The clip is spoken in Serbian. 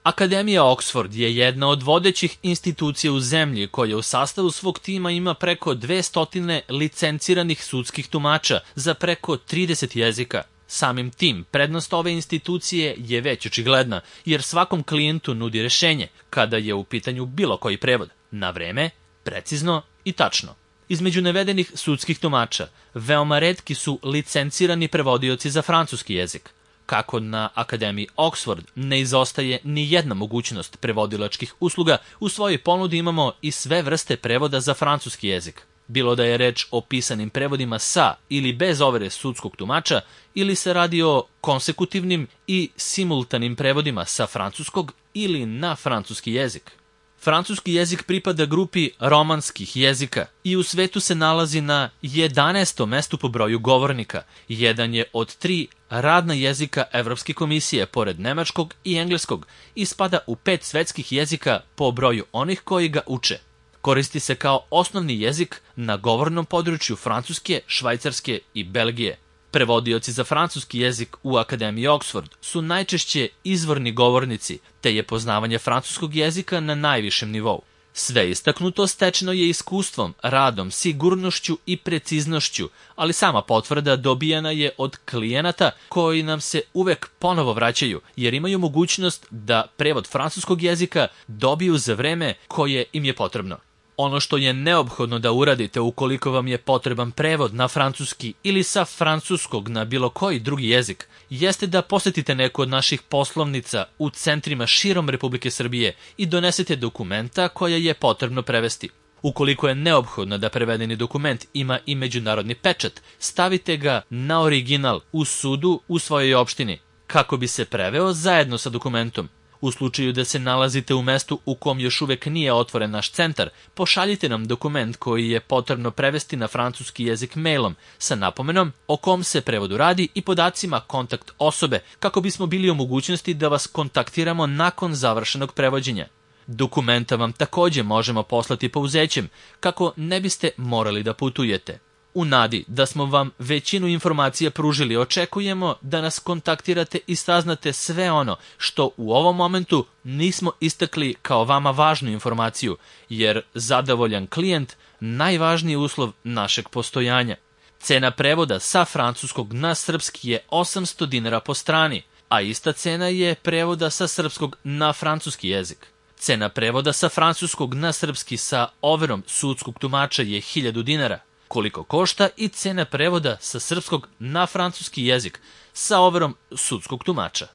Akademija Oxford je jedna od vodećih institucija u zemlji koja u sastavu svog tima ima preko 200 licenciranih sudskih tumača za preko 30 jezika. Samim tim, prednost ove institucije je već očigledna, jer svakom klijentu nudi rešenje kada je u pitanju bilo koji prevod, na vreme, precizno i tačno. Između navedenih sudskih tumača, veoma retki su licencirani prevodioci za francuski jezik. Kako na Akademiji Oxford ne izostaje ni jedna mogućnost prevodilačkih usluga, u svojoj ponudi imamo i sve vrste prevoda za francuski jezik. Bilo da je reč o pisanim prevodima sa ili bez overe sudskog tumača, ili se radi o konsekutivnim i simultanim prevodima sa francuskog ili na francuski jezik. Francuski jezik pripada grupi romanskih jezika i u svetu se nalazi na 11. mestu po broju govornika. Jedan je od 3 radna jezika Evropske komisije, pored nemačkog i engleskog, i spada u 5 svetskih jezika po broju onih koji ga uče. Koristi se kao osnovni jezik na govornom području Francuske, Švajcarske i Belgije. Prevodioci za francuski jezik u Akademiji Oxford su najčešće izvorni govornici, te je poznavanje francuskog jezika na najvišem nivou. Sve istaknuto stečeno je iskustvom, radom, sigurnošću i preciznošću, ali sama potvrda dobijena je od klijenata koji nam se uvek ponovo vraćaju, jer imaju mogućnost da prevod francuskog jezika dobiju za vreme koje im je potrebno. Ono što je neophodno da uradite ukoliko vam je potreban prevod na francuski ili sa francuskog na bilo koji drugi jezik, jeste da posetite neku od naših poslovnica u centrima širom Republike Srbije i donesete dokumenta koja je potrebno prevesti. Ukoliko je neophodno da prevedeni dokument ima i međunarodni pečat, stavite ga na original u sudu u svojoj opštini, kako bi se preveo zajedno sa dokumentom. U slučaju da se nalazite u mestu u kom još uvek nije otvoren naš centar, pošaljite nam dokument koji je potrebno prevesti na francuski jezik mailom sa napomenom o kom se prevodu radi i podacima kontakt osobe, kako bismo bili u mogućnosti da vas kontaktiramo nakon završenog prevođenja. Dokumenta vam takođe možemo poslati pouzećem, kako ne biste morali da putujete. U nadi da smo vam većinu informacija pružili, očekujemo da nas kontaktirate i saznate sve ono što u ovom momentu nismo istakli kao vama važnu informaciju, jer zadovoljan klijent najvažniji uslov našeg postojanja. Cena prevoda sa francuskog na srpski je 800 dinara po strani, a ista cena je prevoda sa srpskog na francuski jezik. Cena prevoda sa francuskog na srpski sa overom sudskog tumača je 1000 dinara. Koliko košta i cena prevoda sa srpskog na francuski jezik sa overom sudskog tumača.